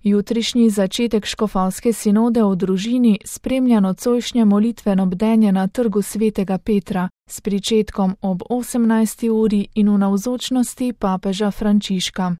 Jutrišnji začetek škofovske sinode o družini spremlja nocojšnje molitveno bdenje na Trgu svetega Petra s pričetkom ob 18. uri in v navzočnosti papeža Frančiška.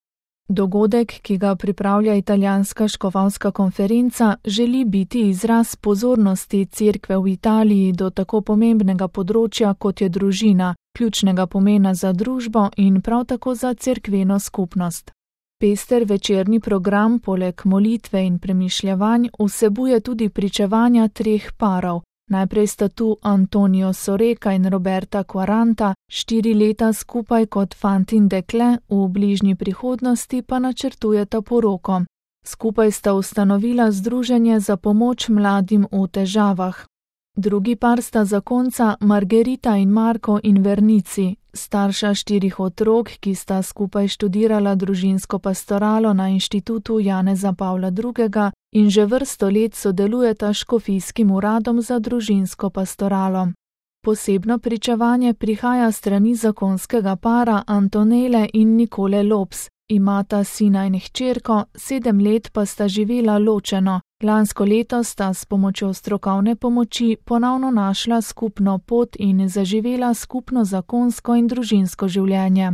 Dogodek, ki ga pripravlja italijanska škofovska konferenca, želi biti izraz pozornosti Cerkve v Italiji do tako pomembnega področja, kot je družina, ključnega pomena za družbo in prav tako za cerkveno skupnost. Pester večerni program poleg molitve in premišljevanj vsebuje tudi pričevanja 3 parov. Najprej sta tu Antonio Soreka in Roberta Quaranta, 4 leta skupaj kot fant in dekle, v bližnji prihodnosti pa načrtujeta poroko. Skupaj sta ustanovila združenje za pomoč mladim v težavah. Drugi par sta zakonca Margherita in Marko Invernici, starša 4 otrok, ki sta skupaj študirala družinsko pastoralo na Inštitutu Janeza Pavla II. In že vrsto let sodelujeta s škofijskim uradom za družinsko pastoralo. Posebno pričevanje prihaja s strani zakonskega para Antonele in Nikole Lops. Imata sina in hčerko, 7 let pa sta živela ločeno. Lansko leto sta s pomočjo strokovne pomoči ponovno našla skupno pot in zaživela skupno zakonsko in družinsko življenje.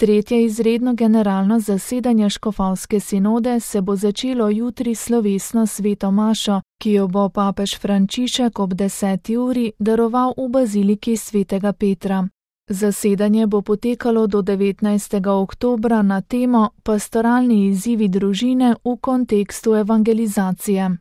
Tretje izredno generalno zasedanje škofovske sinode se bo začelo jutri slovesno sveto mašo, ki jo bo papež Frančišek ob 10. uri daroval v baziliki svetega Petra. Zasedanje bo potekalo do 19. oktobra na temo Pastoralni izzivi družine v kontekstu evangelizacije.